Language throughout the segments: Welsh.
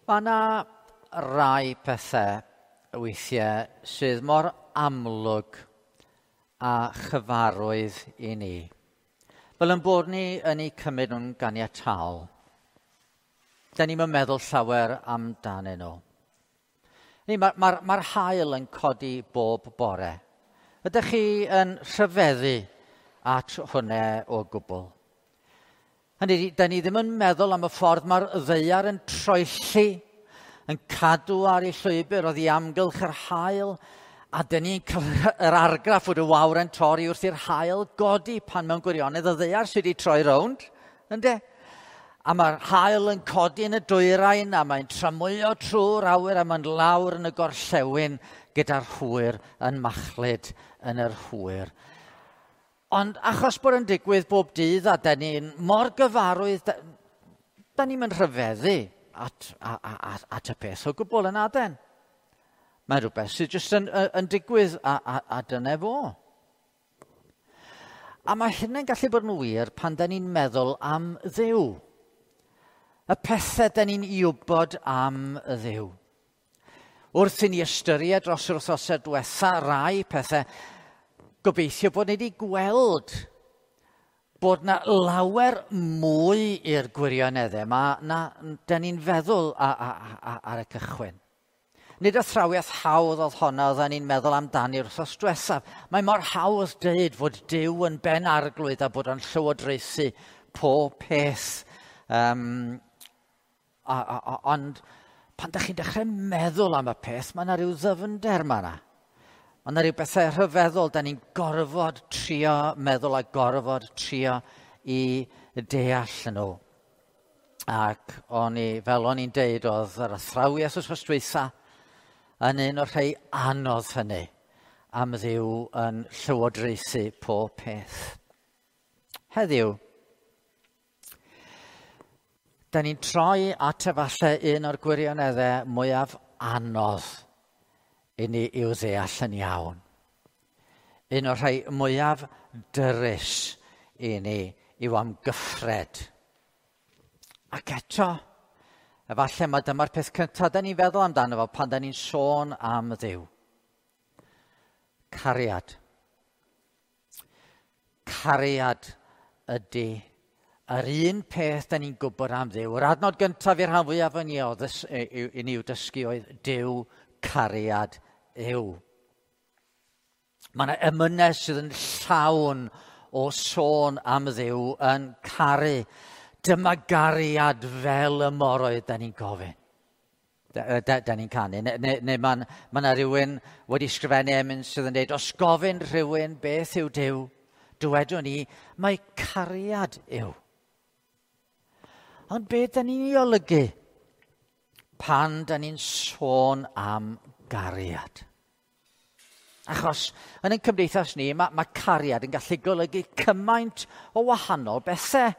Mae yna rai pethau weithiau sydd mor amlwg a chyfarwydd i ni. Fel yn bod ni yn eu cymryd nhw'n ganiataol. Da ni'n meddwl llawer amdanyn nhw. Mae'r ma, ma haul yn codi bob bore. Ydych chi yn rhyfeddu at hwnna o gwbl? Hynny ydi, da ni ddim yn meddwl am y ffordd mae'r ddaear yn troelli, yn cadw ar ei llwybr oddi amgylch yr haul, a da ni'n cael yr argraff fod y wawr yn torri wrth i'r haul godi pan mewn gwirionedd y ddaear sydd wedi troi rownd, ynde? A mae'r haul yn codi yn y dwyrain a mae'n tramwyo trwy'r awyr a mae'n lawr yn y gorllewin gyda'r hwyr yn machlud yn yr hwyr. Ond achos bod yn digwydd bob dydd a da ni'n mor gyfarwydd, da, da ni'n mynd rhyfeddu at, at, at y peth o gwbl yn aden. Mae'n rhywbeth sydd jyst yn, yn digwydd a, a, a dyna fo. A mae hynny'n gallu bod yn wir pan da ni'n meddwl am Dduw. Y pethau da ni'n i wybod am Dduw. Wrth i ni ystyried dros yr wythnosau diwetha rai pethau, gobeithio bod ni wedi gweld bod na lawer mwy i'r gwirioneddau yma na da ni'n feddwl ar y cychwyn. Nid athrawiaeth hawdd oedd honna oedden ni'n meddwl amdani wrthos diwethaf. Mae mor hawdd dweud fod Duw yn ben arglwydd a bod o'n llywodraethu pob peth. Um, a, a, a, ond pan da chi'n dechrau meddwl am y peth, mae yna rhyw ddyfnder yma yna. Mae yna rhyw bethau rhyfeddol, da ni'n gorfod trio meddwl a gorfod trio i deall nhw. Ac o'n i, fel o'n i'n deud, oedd yr athrawiaeth wrth dwytha yn un o'r rhai anodd hynny am Dduw yn llywodraethu pob peth. Heddiw, da ni'n troi at efallai un o'r gwirioneddau mwyaf anodd i ni i'w ddeall yn iawn. Un o'r rhai mwyaf dyrys i ni i'w amgyffred. Ac eto, efallai mae dyma'r peth cyntaf da ni'n feddwl amdano fo pan da ni'n sôn am Dduw. Cariad. Cariad ydy yr un peth da ni'n gwybod am Dduw. Yr adnod gyntaf i'r rhan fwyaf yn ni, i ni i'w dysgu oedd Duw cariad yw. Mae yna emynau sydd yn llawn o sôn am Dduw yn caru. Dyma gariad fel y moroedd, da ni'n gofyn. Da, da, da ni'n canu. Neu, neu, neu mae ma yna rhywun wedi sgrifennu emyn sydd yn dweud, os gofyn rhywun beth yw Duw, dywedwn ni, mae cariad yw. Ond beth da ni'n ei olygu pan da ni'n sôn am gariad? Achos yn ein cymdeithas ni, mae, mae cariad yn gallu golygu cymaint o wahanol bethau.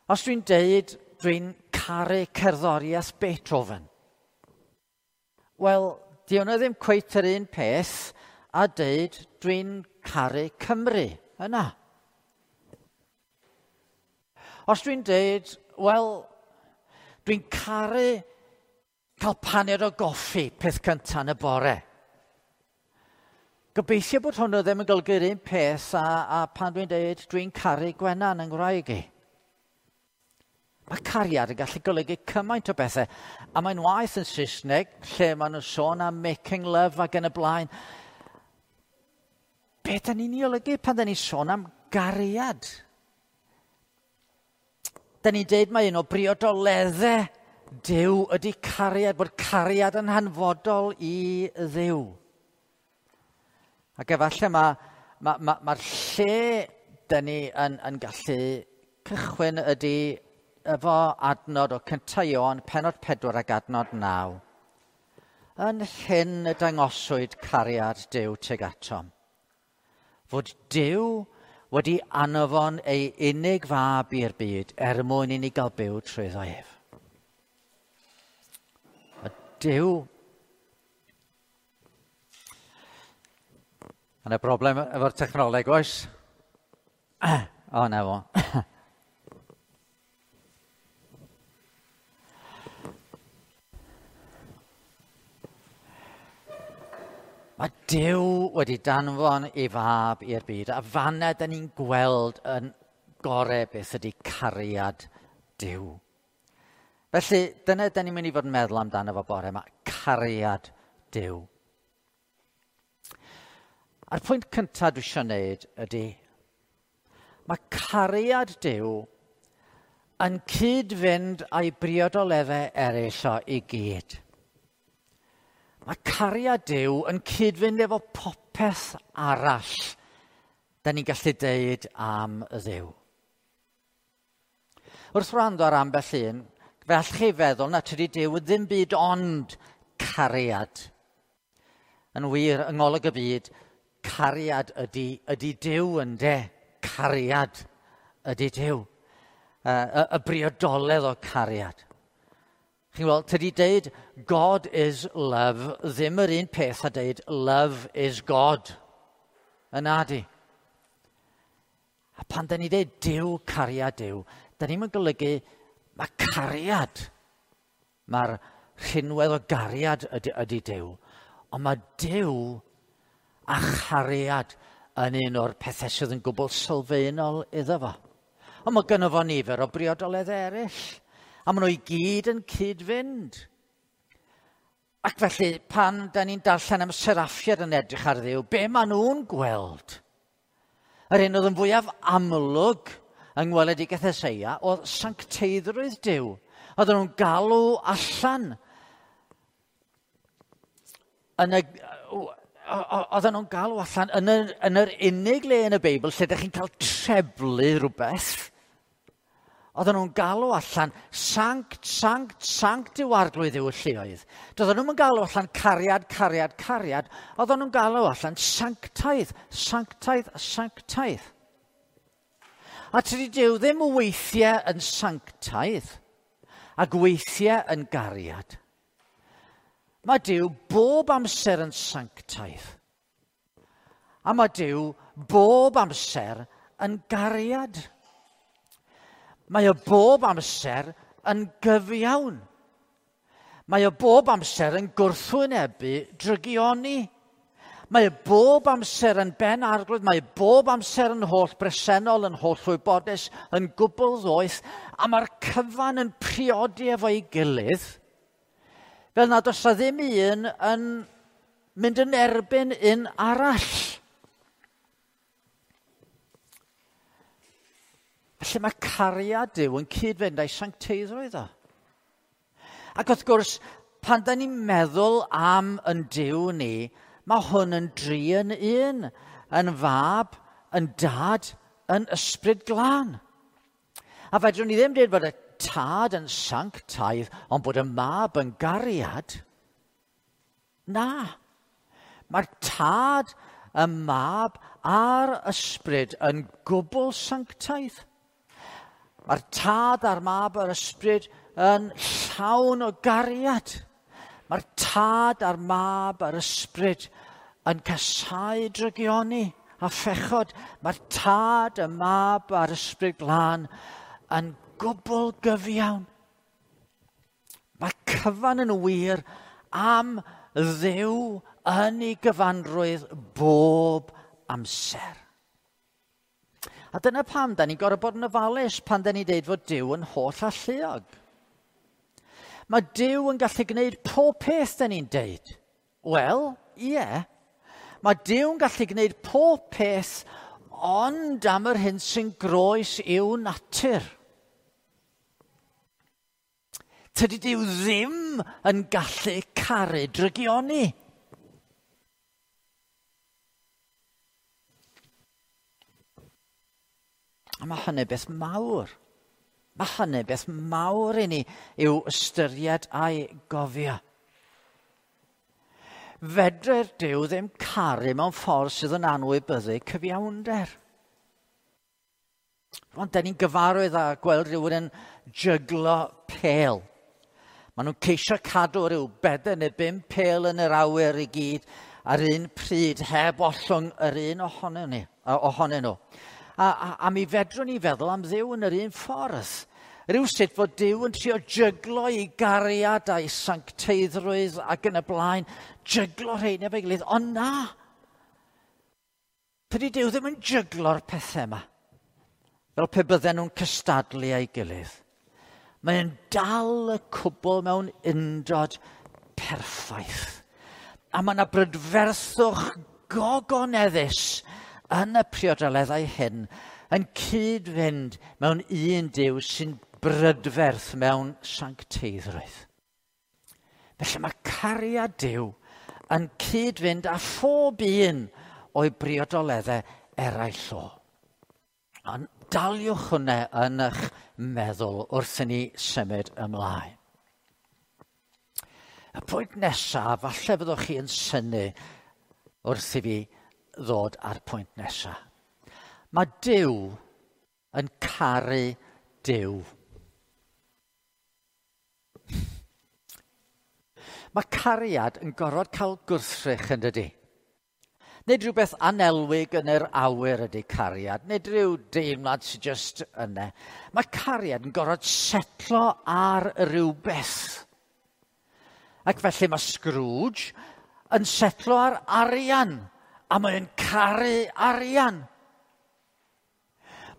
Os dwi'n deud dwi'n caru cerddoriaeth Beethoven, wel, di hwnna ddim cweit yr un peth a deud dwi'n caru Cymru yna. Os dwi'n deud, wel, dwi'n caru cael paned o goffi peth cyntaf yn y bore. Gobeithio bod hwnnw ddim yn golygu'r un peth a, a pan dwi'n deud dwi'n caru Gwenan yng Nghymraeg i. Mae cariad yn gallu golygu cymaint o bethau. A mae'n waeth yn Saesneg, lle maen nhw'n sôn am making love ac yn y blaen. Be da ni'n ei olygu pan da ni'n sôn am gariad? Da ni'n deud mae un o briodoleddau Duw ydy cariad, bod cariad yn hanfodol i Dduw. Ac efallai mae'r ma, ma, ma lle da ni yn, yn gallu cychwyn ydy efo adnod o cyntaf Ioan, pennod 4 ac adnod 9. Yn hyn y dangoswyd cariad Duw tuag atom. Fod Duw wedi anfon ei unig fab i'r byd er mwyn i ni gael byw trwyddo ef. A Duw. Yna broblem efo'r technoleg, oes? O, na fo. Mae Duw wedi danfon ei fab i'r byd, a fanna da ni'n gweld yn gorau beth ydy cariad Duw. Felly, dyna da ni'n mynd i fod yn meddwl amdano fo bore yma, cariad Duw. A'r pwynt cyntaf dwi eisiau gwneud ydy, mae cariad Duw yn cyd-fynd â'i briodoleddau eraill o i gyd. Mae cariad Duw yn cyd-fynd efo popeth arall da ni'n gallu deud am y Dduw. Wrth wrando ar ambell un, fe allwch chi feddwl na tydi Duw ddim byd ond cariad. Yn wir, yng ngolwg y byd, cariad ydy Duw ynde. Cariad ydy Duw. Y briodoledd o cariad. Chi'n gweld, tydi deud God is love ddim yr un peth a deud love is God. Yna di. A pan da ni deud Duw, cariad Duw, da ni'n golygu mae cariad. Mae'r rhinwedd o gariad ydy Duw. Ond mae Duw a chariad yn un o'r pethau sydd yn gwbl sylfaenol iddo fo. Ond mae gynno fo nifer o briodoledd eraill. A maen nhw i gyd yn cyd-fynd. Ac felly, pan da ni'n darllen am seraffiad yn edrych ar Dduw, be maen nhw'n gweld? Yr un oedd yn fwyaf amlwg yng ngweledigaeth Eseia oedd sancteiddrwydd Duw. Oedden nhw'n galw allan. Oedden nhw'n galw allan yn yr unig le yn y Beibl lle ydych chi'n cael treblu rhywbeth. Oedden nhw'n galw allan, sanct, sanct, sanct yw arglwydd yw y lluoedd. Doedden nhw'n galw allan cariad, cariad, cariad. Oedden nhw'n galw allan sanctaidd, sanctaidd, sanctaidd. A tydi Duw ddim weithiau yn sanctaidd ac weithiau yn gariad. Mae Duw bob amser yn sanctaidd. A mae Duw bob amser yn gariad. Mae o bob amser yn gyfiawn. Mae o bob amser yn gwrthwynebu drygioni. Mae o bob amser yn ben arglwydd, mae o bob amser yn holl bresennol, yn holl wybodus, yn gwbl ddoeth, a mae'r cyfan yn priodi efo'i gilydd, fel nad oes ddim un yn mynd yn erbyn un arall. Felly mae cariad Duw yn cyd-fynd â'i sancteiddrwydd o. Ac wrth gwrs, pan da ni'n meddwl am yn Duw ni, mae hwn yn dri yn un, yn fab, yn dad, yn ysbryd glân. A fedrwn ni ddim dweud bod y tad yn sanctaidd, ond bod y mab yn gariad. Na. Mae'r tad, y mab a'r ysbryd yn gwbl sanctaidd. Mae'r tad a'r mab a'r ysbryd yn llawn o gariad. Mae'r tad a'r mab a'r ysbryd yn casáu drygioni a phechod. Mae'r tad, y mab a'r ysbryd glân yn gwbl gyfiawn. Mae cyfan yn wir am Dduw yn ei gyfanrwydd bob amser. A dyna pam da ni'n gorfod bod yn ofalus pan da ni'n deud fod Duw yn holl alluog. Mae Duw yn gallu gwneud pob peth da ni'n deud. Wel, ie. Yeah. Mae Duw yn gallu gwneud pob peth ond am yr hyn sy'n groes i'w natur. Tydi Duw ddim yn gallu caru drygioni. A mae hynny beth mawr. Mae hynny beth mawr i ni i'w ystyried a'i gofio. Fedre'r Duw ddim caru mewn ffordd sydd yn anwybyddu cyfiawnder. Rwan, da ni'n gyfarwydd â gweld rhywun yn jyglo pêl. Maen nhw'n ceisio cadw rhyw 4 neu 5 pêl yn yr awyr i gyd ar un pryd heb ollwng yr un ohonyn nhw. A mi fedrwn ni feddwl am Dduw yn yr un ffordd. Rhywsut fod Duw yn trio jyglo ei gariad a'i sancteiddrwydd ac yn y blaen, jyglo rhein efo'i gilydd, ond na! Tydi Duw ddim yn jyglo'r pethau yma, fel pe bydden nhw'n cystadlu â'i gilydd. Mae'n dal y cwbl mewn undod perffaith. A mae yna brydferthwch gogoneddus yn y priodoleddau hyn yn cyd-fynd mewn un Duw sy'n brydferth mewn sancteiddrwydd. Felly mae cariad Duw yn cyd-fynd â phob un o'i briodoleddau eraill o. Ond daliwch hwnna yn eich meddwl wrth i ni symud ymlaen. Y pwynt nesaf, falle fyddwch chi yn synnu wrth i fi ddod ar pwynt nesaf. Mae Duw yn caru Duw. Mae cariad yn gorfod cael gwrthrych yn dydi. Nid rhywbeth anelwig yn yr awyr ydy cariad, nid rhyw deimlad sy'n just yna. Mae cariad yn gorfod setlo ar rhywbeth. Ac felly mae Scrooge yn setlo ar arian, a mae'n caru arian.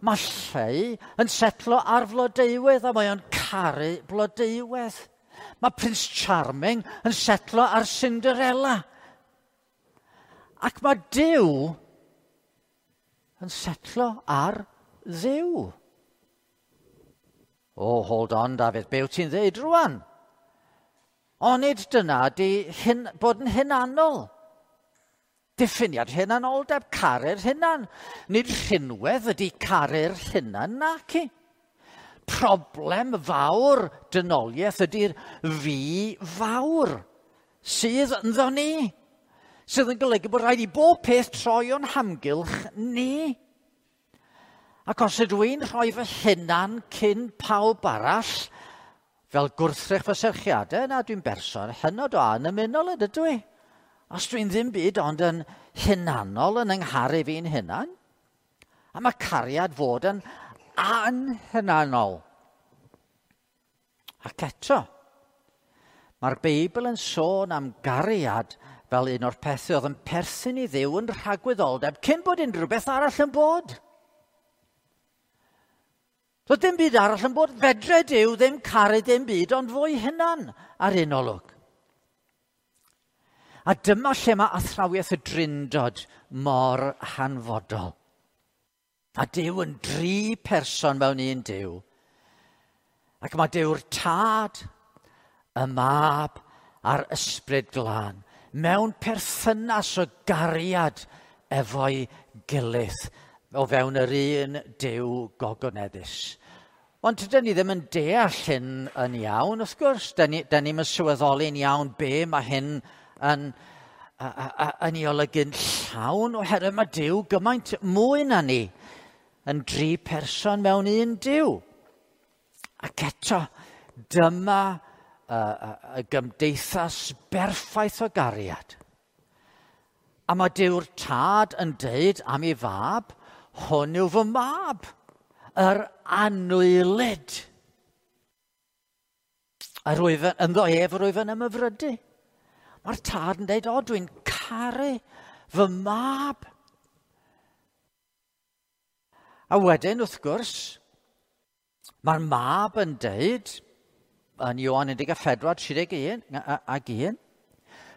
Mae Lleu yn setlo ar flodeuwedd, a mae o'n caru blodeuwedd. Mae Prince Charming yn setlo ar Cinderella. Ac mae Duw yn setlo ar Dduw. Oh, hold on, Dafydd, be wyt ti'n ddeud rwan? Onid dyna di hyn, bod yn hunanol. Diffiniad hunanoldeb, caru'r hunan. Nid rhinwedd ydy caru'r hunan, naci. Problem fawr dynoliaeth ydy'r fi fawr sydd ynddo ni. Sydd yn golygu bod rhaid i bob peth troi o'n hamgylch ni. Ac os ydw i'n rhoi fy hunan cyn pawb arall, fel gwrthrych fy serchiadau, na dwi'n berson hynod o annymunol ydw i. Os dwi'n ddim byd ond yn hunanol yn yngharu fi'n hunan, a mae cariad fod yn anhunanol. Ac eto, mae'r Beibl yn sôn am gariad fel un o'r pethau oedd yn perthyn i Dduw yn rhagwyddoldeb cyn bod unrhyw beth arall yn bod. Doedd dim byd arall yn bod. Fedre Duw ddim caru dim byd ond fwy hunan ar un olwg. A dyma lle mae athrawiaeth y Drindod mor hanfodol. A Duw yn dri person mewn un Duw. Ac mae Duw'r Tad, y Mab a'r Ysbryd Glân mewn perthynas o gariad efo'i gilydd o fewn yr un Duw gogoneddus. Ond dyn ni ddim yn deall hyn yn iawn, wrth gwrs. Dyn ni'n sylweddoli'n iawn be mae hyn yn ei olygu'n llawn, oherwydd mae Duw gymaint mwy na ni yn dri person mewn un Duw. Ac eto, dyma y gymdeithas berffaith o gariad. A mae Duw'r Tad yn deud am ei fab, hwn yw fy mab, yr anwylyd. A rwyf ynddo ef rwyf yn ymhyfrydu. Mae'r Tad yn deud, o, dwi'n caru fy mab. A wedyn, wrth gwrs, mae'r mab yn deud, yn Ioan 14, 31 ac 1,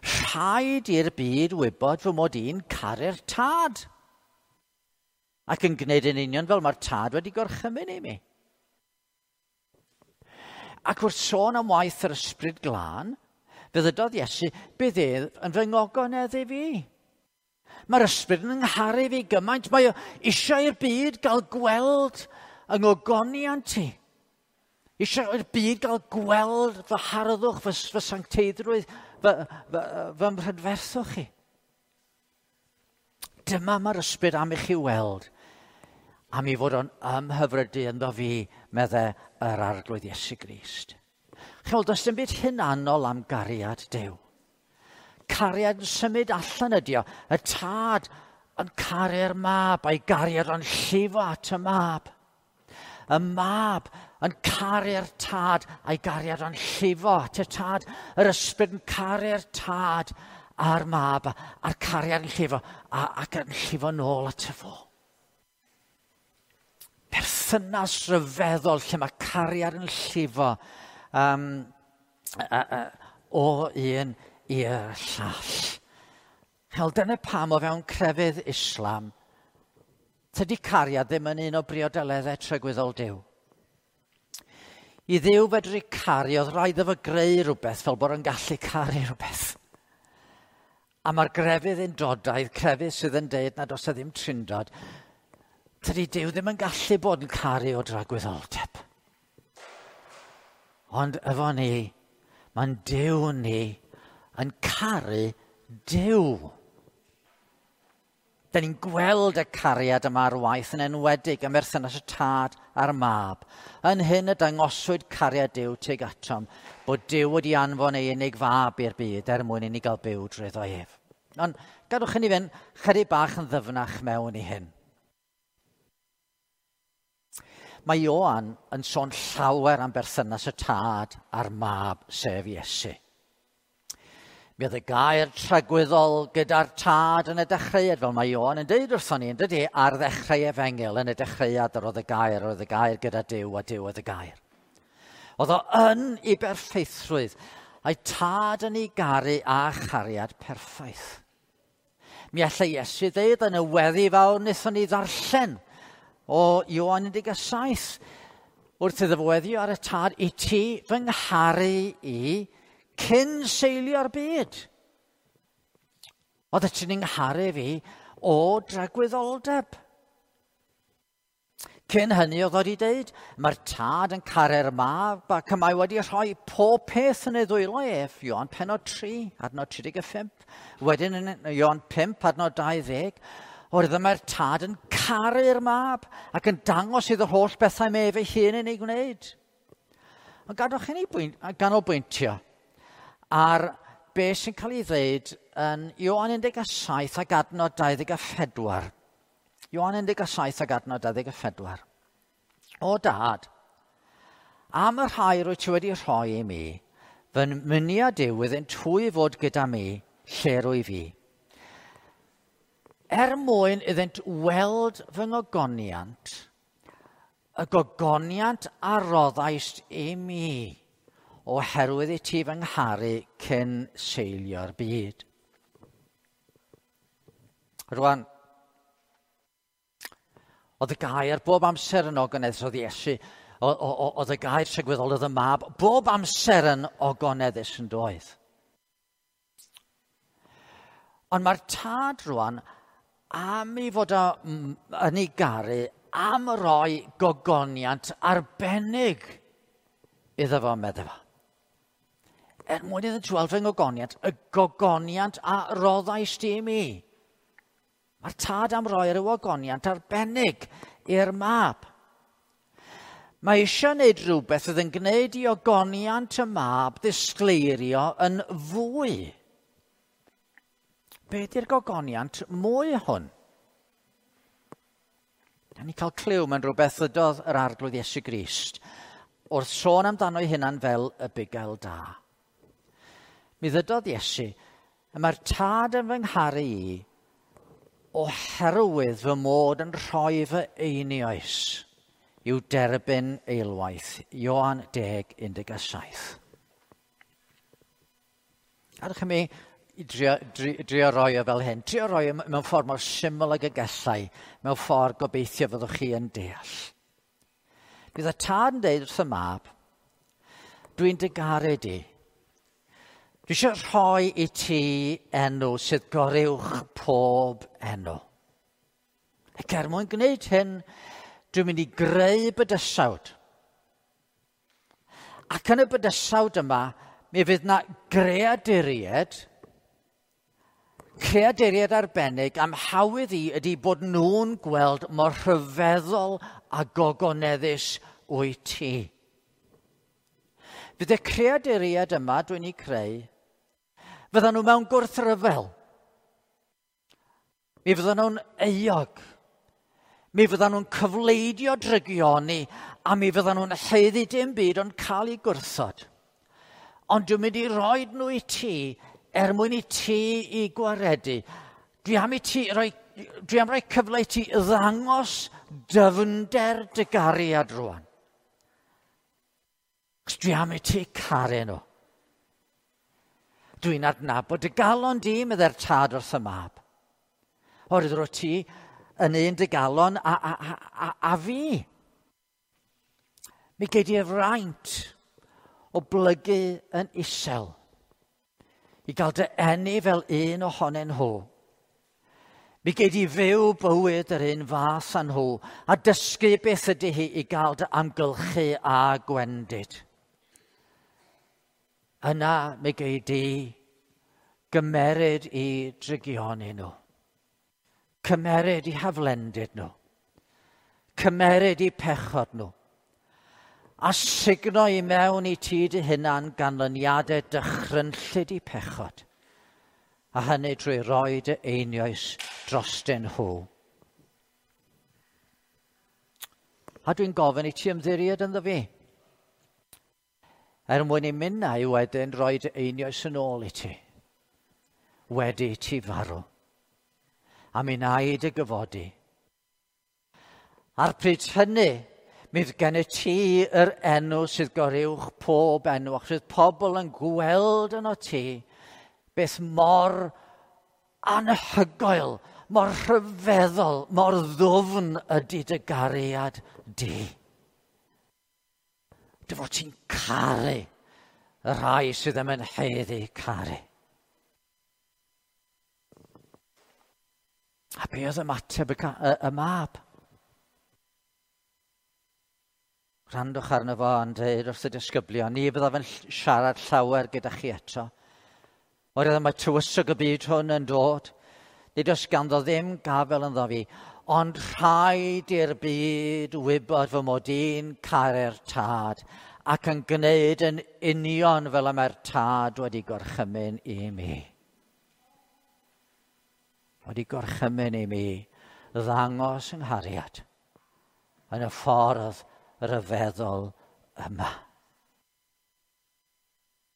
rhaid i'r byd wybod fy mod i'n caru'r Tad. Ac yn gwneud yn union fel mae'r Tad wedi gorchymyn i mi. Ac wrth sôn am waith yr Ysbryd Glân, fe ddydodd Iesu, bydd ef yn fy ngogoneddu fi. Mae'r Ysbryd yn ngharu fi gymaint, mae o eisiau i'r byd gael gweld yng ngogoniant i. Eisiau i'r byd gael gweld fy harddwch, fy sancteiddrwydd, fy mhrydferthwch chi. Dyma mae'r Ysbryd am i chi weld, am i fod o'n ymhyfrydu ynddo fi, medde yr Arglwydd Iesu Grist. Chymod, does dim byd hunanol am gariad Duw. Cariad yn symud allan ydi o. Y Tad yn caru'r mab, a'i gariad o'n llifo at y mab. Y mab yn caru'r tad a'i gariad o'n llifo at y tad. Yr ysbryd yn caru'r tad a'r mab a'r cariad yn llifo ac yn llifo nôl at y fo. Perthynas rhyfeddol lle mae cariad yn llifo o un i'r llall. Hel, dyna pam o fewn crefydd Islam, tydi cariad ddim yn un o briodeleddau tragwyddol Duw. I Dduw fedru caru, oedd rhaid iddo fo greu rhywbeth fel bod yn gallu caru rhywbeth. A mae'r grefydd undodaidd, crefydd sydd yn deud nad oes e ddim trindod, tydi Duw ddim yn gallu bod yn caru o dragwyddoldeb. Ond efo ni, mae'n Duw ni yn caru Duw. Da ni'n gweld y cariad yma ar waith yn enwedig ym merthynas y tad a'r mab. Yn hyn y dangoswyd cariad Duw tuag atom, bod Duw wedi anfon ei unig fab i'r byd er mwyn i ni gael byw drwyddo ef. Ond gadwch i ni fynd chydig bach yn ddyfnach mewn i hyn. Mae Ioan yn sôn llawer am berthynas y tad a'r mab, sef Iesu. Mi oedd y gair tragwyddol gyda'r tad yn y dechreuad, fel mae Ioan yn deud wrthon ni, yn dydy, ar ddechrau efengyl, yn y dechreuad yr oedd y gair, yr oedd y gair gyda Duw, a Duw oedd y gair. Oedd o yn ei berffeithrwydd, a'i tad yn ei garu a chariad perffaith. Mi allai Iesu ddeud yn y weddi fawr wnaethon ni ddarllen o Ioan 17, wrth iddo fo weddio ar y tad, i ti fy ngharu i cyn seilio'r byd. Oedd ti'n ngharu fi o dragwyddoldeb. Cyn hynny oedd wedi deud, mae'r tad yn caru'r mab ac y mae wedi rhoi pob peth yn ei ddwylo ef. Ioan pennod 3, adnod 35. Wedyn yn Ioan 5, adnod 20. Oherwydd mae'r tad yn caru'r mab ac yn dangos iddo holl bethau mae ef ei hun yn ei gwneud. Ond gadwch i ni ganolbwyntio ar beth sy'n cael ei ddeud yn Ioan 17 ac adnod 24. Ioan 17 ac adnod 24. O dad, am y rhai rwy ti wedi rhoi i mi, fy myniad yw iddynt hwy fod gyda mi lle rwy fi. Er mwyn iddynt weld fy ngogoniant, y gogoniant a roddaist i mi, oherwydd i ti fy ngharu cyn seilio'r byd. Rwan, oedd y gair bob amser yn ogoneddus, oedd Iesu, oedd y gair tragwyddol, oedd y mab, bob amser yn ogoneddus yn doedd. Ond mae'r tad rwan am ei fod o yn ei garu, am roi gogoniant arbennig iddo fo, medde fo. Er mwyn iddynt weld fy ngogoniant, y gogoniant a roddais di i mi. Mae'r tad am roi rhyw ogoniant arbennig i'r mab. Mae eisiau gwneud rhywbeth oedd yn gwneud i ogoniant y mab ddisgleirio yn fwy. Be di'r gogoniant mwy hwn? Da ni'n cael clyw mewn rhywbeth ddydodd yr Arglwydd Iesu Grist wrth sôn amdano ei hunan fel y bugail da. Mi ddydodd Iesu, y mae'r tad yn fy ngharu i oherwydd fy mod yn rhoi fy einioes i'w derbyn eilwaith. Ioan 10:17. Gadewch i mi drio roi o fel hyn. Drio roi o mewn ffordd mor syml ag y gallai, mewn ffordd gobeithio fyddwch chi yn deall. Bydd y tad yn deud wrth y mab, dwi'n dy garu di. Dwi eisiau rhoi i ti enw sydd goruwch pob enw. Ac er mwyn gwneud hyn, dwi'n mynd i greu bydysawd. Ac yn y bydysawd yma, mi fydd na greaduriaid arbennig am hawydd i ydy bod nhw'n gweld mor rhyfeddol a gogoneddus wyt ti. Fydd y creaduriaid yma dwi'n ei creu, fyddan nhw mewn gwrthryfel. Mi fyddan nhw'n euog. Mi fyddan nhw'n cyfleidio drygioni a mi fyddan nhw'n haeddu dim byd ond cael eu gwrthod. Ond dwi'n mynd i roi nhw i ti er mwyn i ti i gwaredu. Dwi am i ti roi, dwi am roi cyfle i ti ddangos dyfnder dy gariad rwan. Cos dwi am i ti caru nhw. Dwi'n adnabod dy galon di, meddai'r tad wrth y mab. Oherwydd rwyt ti yn un dy galon a fi. Mi gei di'r fraint o blygu yn isel i gael dy eni fel un ohonyn nhw. Mi gei di fyw bywyd yr un fath â nhw a dysgu beth ydy hi i gael dy amgylchu a gwendid. Yna mi gei di gymeryd i drygioni nhw. Cymeryd i haflendid nhw. Cymeryd i pechod nhw. A sugno i mewn i ti dy hunan ganlyniadau dychrynllyd i pechod. A hynny drwy roi dy einioes drostyn nhw. A dwi'n gofyn i ti ymddiried ynddo fi. Er mwyn i minnau wedyn roi dy einioes yn ôl i ti. Wedi ti farw. A mi wna i dy gyfodi. A'r pryd hynny, mi fydd gennyt ti yr enw sydd goruwch pob enw, achos fydd pobl yn gweld yno ti beth mor anhygoel, mor rhyfeddol, mor ddwfn ydy dy gariad di. Dy fod ti'n caru y rhai sydd ddim yn haeddu caru. A be oedd ymateb y mab? Rhandwch arno fo yn dweud wrth y disgyblion, ni fyddaf yn siarad llawer gyda chi eto. Oherwydd mae tywysog y byd hwn yn dod. Nid oes ganddo ddim gafel ynddo fi, ond rhaid i'r byd wybod fy mod i'n caru'r tad ac yn gwneud yn union fel y mae'r tad wedi gorchymyn i mi. Wedi gorchymyn i mi ddangos yng nghariad yn y ffordd ryfeddol yma.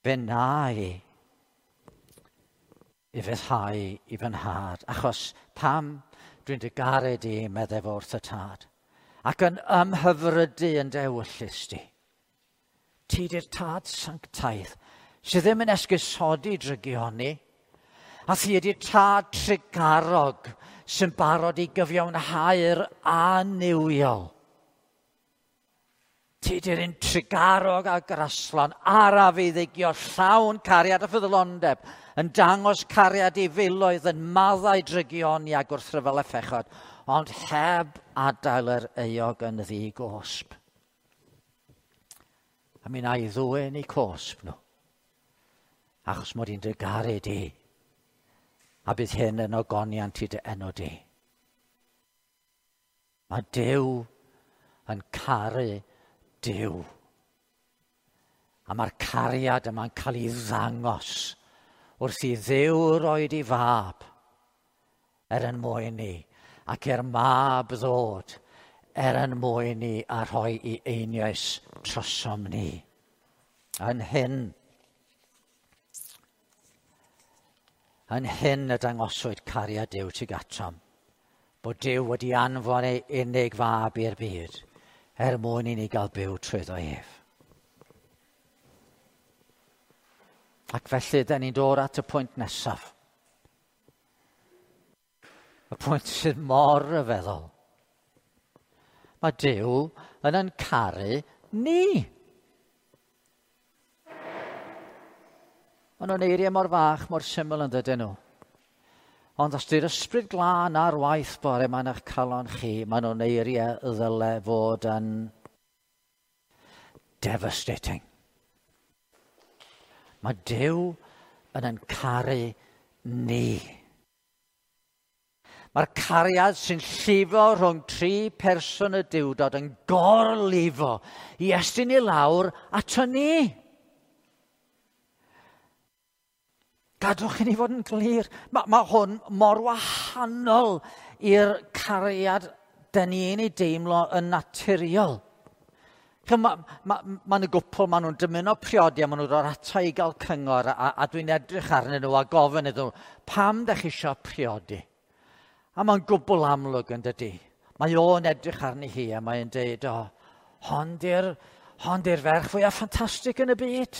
Fe na i ufuddhau i fy nhad, achos pam dwi'n dy garu di, meddai fo wrth y tad, ac yn ymhyfrydu yn dy ewyllys di. Ti di'r tad sanctaidd, sydd ddim yn esgusodi drygioni, a thi ydi'r tad trugarog sy'n barod i gyfiawnhau'r annuwiol. Ti di'r un trugarog a graslon, araf i ddigio, llawn cariad a ffyddlondeb, yn dangos cariad i filoedd, yn maddau drygioni a gwrthryfel a phechod, ond heb adael yr euog yn ddi-gosb. A mi wna i ddwyn eu cosb nhw, achos mod i'n dy garu di, a bydd hyn yn ogoniant i dy enw di. Mae Duw yn caru Duw. A mae'r cariad yma'n cael ei ddangos wrth i Dduw roed i fab er yn mwyn ni, ac i'r mab ddod er yn mwyn ni a rhoi i einioes trosom ni. Yn hyn y dangoswyd cariad Duw tuag atom, bod Duw wedi anfon ei unig fab i'r byd, er mwyn i ni gael byw trwyddo ef. Ac felly, da ni'n dod at y pwynt nesaf. Y pwynt sydd mor ryfeddol. Mae Duw yn caru ni. Maen nhw'n eiriau mor fach, mor syml yn dydyn nhw. Ond os di'r ysbryd glân ar waith bore yma yn eich calon chi, maen nhw'n eiriau ddyle fod yn devastating. Mae Duw yn caru ni. Mae'r cariad sy'n llifo rhwng tri person y Duwdod yn gorlifo i estyn i lawr ato ni. Gadwch i ni fod yn glir. Mae hwn mor wahanol i'r cariad dyn ni'n ei deimlo yn naturiol. Mae ma yna gwpl, maen nhw'n dymuno priodi a maen nhw'n dod ata i gael cyngor a dwi'n edrych arnyn nhw a gofyn iddyn nhw, pam da chi eisiau priodi? A mae'n gwbl amlwg yn dydy. Mae o'n edrych arni hi a mae'n deud, o, hon di'r hon di'r ferch fwyaf ffantastig yn y byd.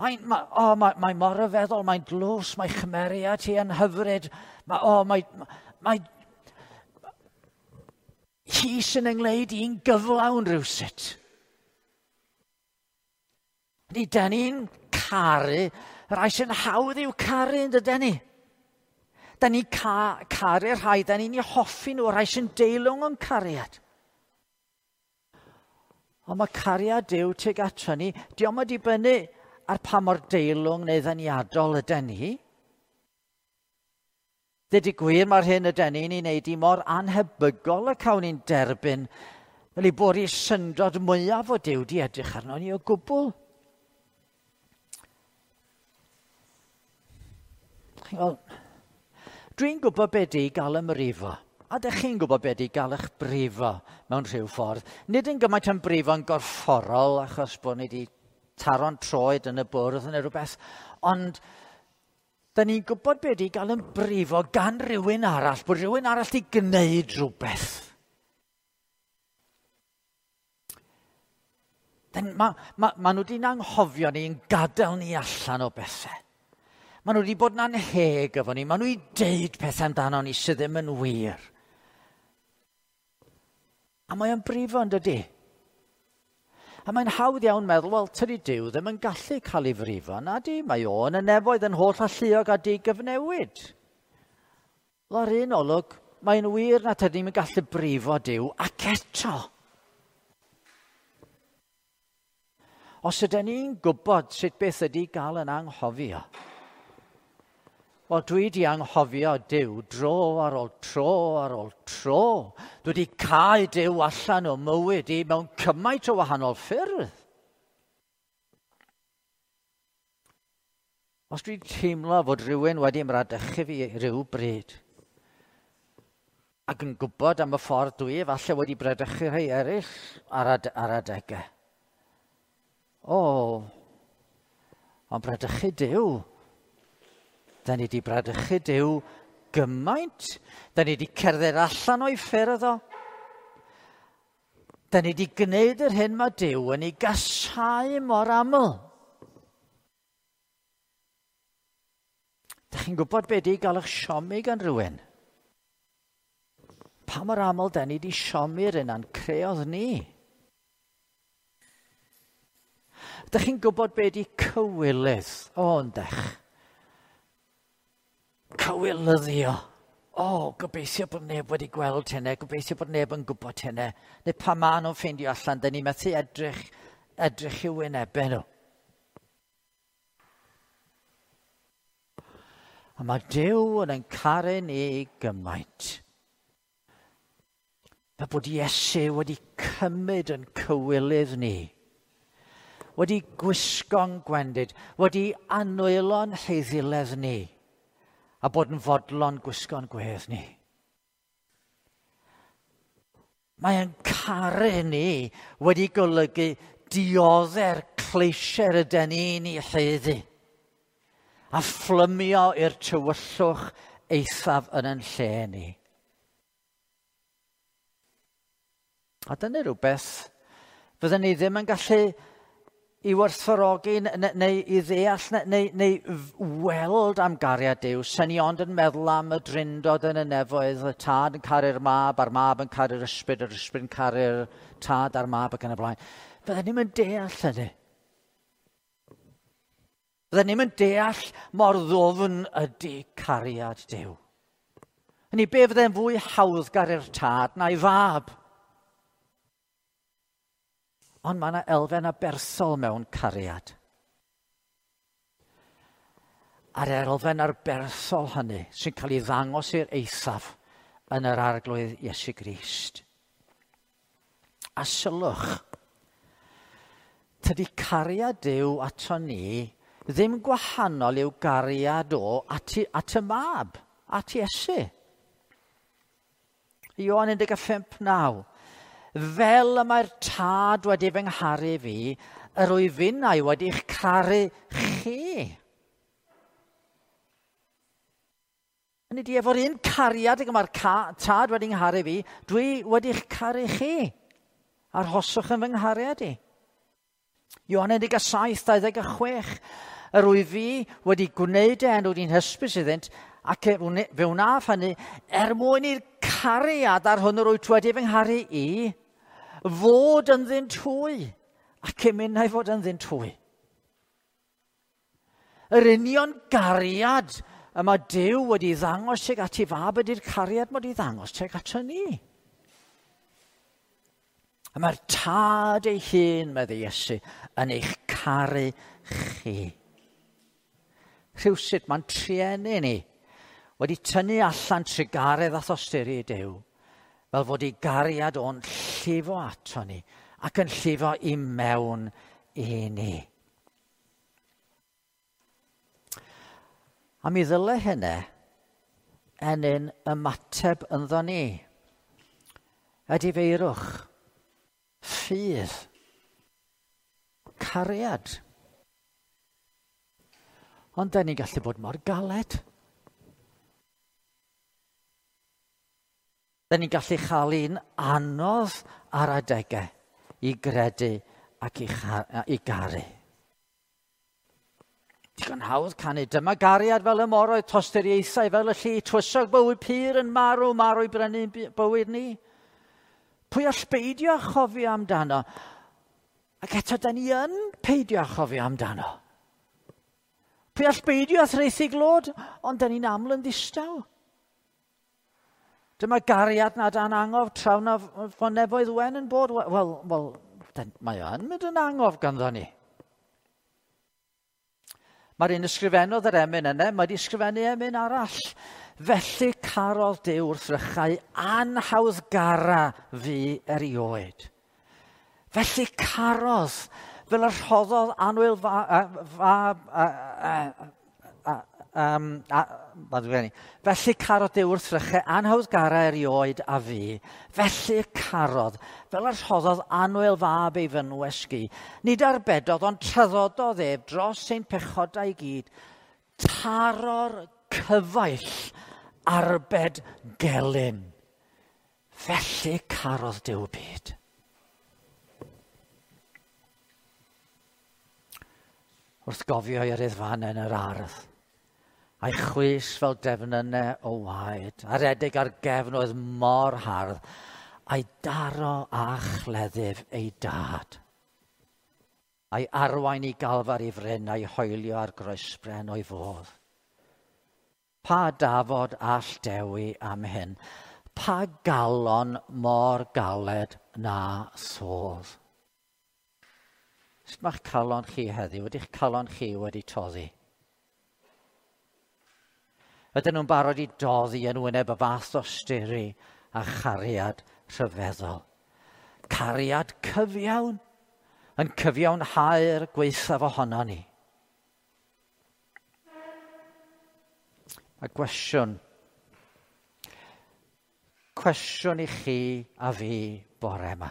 Mae'n mae mor ryfeddol, mae'n dlws, mae chymeriad hi yn hyfryd. Mae, o, mae, mae, hi sy'n yngwneud i'n gyflawn rhywsut. Ni, da ni'n caru rhai sy'n hawdd i'w caru yn dydyn ni. Da ni'n caru rhai, da ni'n eu hoffi nhw, rhai sy'n deilwng o'n cariad. Ond mae cariad Duw tuag ato ni, dio'm yn dibynnu ar pa mor deilwng neu ddeniadol yden ni. Dweud y gwir, mae'r hyn yden ni'n ei wneud i mor anhebygol y cawn ni'n derbyn fel ei bod i syndod mwyaf o Duw di edrych arno ni o gwbl. Wel, dwi'n gwybod be di gael ymrifo. A dych chi'n gwybod be di gael eich brifo mewn rhyw ffordd. Nid yn gymaint yn brifo'n gorfforol achos bod ni wedi taro'n troed yn y bwrdd neu rhywbeth, ond da ni'n gwybod be di gael yn brifo gan rhywun arall, bod rhywun arall di gwneud rhywbeth. Ma nhw wedi'n anghofio ni yn gadael ni allan o bethau. Maen nhw wedi bod yn anheg efo ni, maen nhw wedi deud pethau amdano ni sydd ddim yn wir. A mae o'n brifo yn dydy. A mae'n hawdd iawn meddwl, wel, tydi Duw ddim yn gallu cael ei frifo. Na di, mae o yn y nefoedd yn holl alluog a digyfnewid. Wel, ar un olwg, mae'n wir na tydi ddim yn gallu brifo Duw, ac eto. Os ydyn ni'n gwybod sut beth ydy gael yn anghofio, wel, dwi wedi anghofio Duw dro ar ôl tro ar ôl tro. Dwi wedi cau Duw allan o mywyd i mewn cymaint o wahanol ffyrdd. Os dwi'n teimlo fod rhywun wedi ymradychu fi rhyw bryd, ac yn gwybod am y ffordd dwi efallai wedi bradychu rhai eraill ar adegau. O, ond bradychu Duw. Da ni wedi bradychu Duw gymaint. Da ni wedi cerdded allan o'i ffyrdd o. Da ni wedi gwneud yr hyn mae Duw yn ei gasáu mor aml. Da chi'n gwybod be di gael eich siomi gan rhywun? Pa mor aml da ni wedi siomi'r un a'n creodd ni? Da chi'n gwybod be di cywilydd? O, yndech. Cywilyddio. O, gobeithio bod neb wedi gweld hynny, gobeithio bod neb yn gwybod hynny. Neu pa maen nhw'n ffeindio allan, da ni methu edrych i'w wynebau nhw. A mae Duw yn ein caru ni gymaint. Mae bod Iesu wedi cymryd yn cywilydd ni, wedi gwisgo'n gwendid, wedi anwylo'n heiddiledd ni, a bod yn fodlon gwisgo'n gwedd ni. Mae'n caru ni wedi golygu diodde'r cleisiau yden ni'n ei haeddu, a phlymio i'r tywyllwch eithaf yn ein lle ni. A dyna rhywbeth fydden ni ddim yn gallu i werthfawrogi neu i ddeall neu weld am gariad Duw. Sen ni ond yn meddwl am y drindod yn y nefoedd, y tad yn caru'r mab, a'r mab yn caru'r ysbryd, yr ysbryd yn caru'r tad a'r mab ac yn y blaen. Fydden ni'm yn deall hynny. Fydden ni'm yn deall mor ddwfn ydy cariad Duw. Hynny, be fydde'n fwy hawddgar i'r tad na'i fab? Ond mae yna elfen aberthol mewn cariad. A'r elfen aberthol hynny sy'n cael ei ddangos i'r eithaf yn yr Arglwydd Iesu Grist. A sylwch, tydi cariad Duw ato ni ddim gwahanol i'w gariad o at y mab, at Iesu. Ioan 15:9. Fel y mae'r tad wedi fy ngharu fi, yr wyf finnau wedi'ch caru chi. Hynny ydi, efo'r un cariad ag y mae'r tad wedi ngharu fi, dwi wedi'ch caru chi. Arhoswch yn fy nghariad i. Ioan 17:26. Yr wyf fi wedi gwneud e enw di'n hysbys iddynt, ac fe wnaf hynny er mwyn i'r cariad ar hwn yr wyt wedi fy ngharu i fod ynddynt hwy, ac i minnau fod ynddynt hwy. Yr union gariad y mae Duw wedi ddangos tuag at ei fab ydy'r cariad mae wedi ddangos tuag ato ni. A mae'r tad ei hun, meddai Iesu, yn eich caru chi. Rhywsut mae'n trueni ni wedi tynnu allan trugaredd a thosturi i Duw, fel fod ei gariad o'n llifo ato ni ac yn llifo i mewn i ni. A mi ddyle hynny ennyn ymateb ynddo ni. Edifeirwch, ffydd, cariad. Ond da ni'n gallu bod mor galed. Da ni'n gallu chael un anodd ar adegau i gredu ac i garu. Digon hawdd canu, dyma gariad fel y moroedd, tosturiaethau fel y lli, twysog bywyd pur yn marw, marw i brynu bywyd ni. Pwy all beidio â chofio amdano? Ac eto, da ni yn peidio â chofio amdano. Pwy all beidio â thraethu glod? Ond da ni'n aml yn ddistaw. Dyma gariad nad an angof traw na fo nefoedd wen yn bod. Wel, wel, mae o yn mynd yn angof ganddo ni. Mae'r un ysgrifennodd yr emyn yna, mae wedi ysgrifennu emyn arall. Felly carodd Duw wrth rychau anhawddgara fi erioed. Felly carodd, fel y rhoddodd annwyl fab... Felly carodd Duw wrth rychau anhawddgara erioed a fi. Felly carodd, fel y rhoddodd annwyl fab ei fynwes gi. Nid arbedodd, ond traddododd ef dros ein pechodau i gyd. Taro'r cyfaill arbed gelyn. Felly carodd Duw byd. Wrth gofio i'r iddfan yn yr ardd, a'i chwys fel defnynnau o waed, a redeg ar gefn oedd mor hardd, a'i daro a chleddyf ei dad. A'i arwain i galfar i fryn, a'i hoelio ar groesbren o'i fodd. Pa dafod all dewi am hyn? Pa galon mor galed na sodd? Sut mae'ch calon chi heddiw? Ydy'ch calon chi wedi toddi? Ydyn nhw'n barod i doddi yn wyneb y fath osturi a chariad rhyfeddol? Cariad cyfiawn, yn cyfiawnhau'r gwaethaf ohono ni. A gwestiwn i chi a fi bore yma.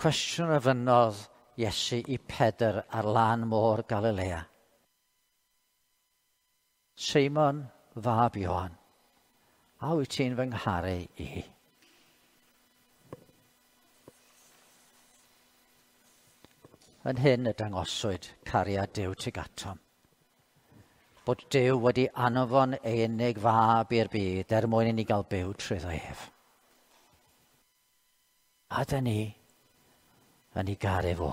Cwestiwn a fynnodd Iesu i Pedr ar lan môr Galilea. Seimon fab Ioan, a wyt ti'n fy ngharu i? Yn hyn y dangoswyd cariad Duw tuag atom. Bod Duw wedi anfon ei unig fab i'r byd er mwyn i ni gael byw trwyddo ef. A da ni yn ei garu fo.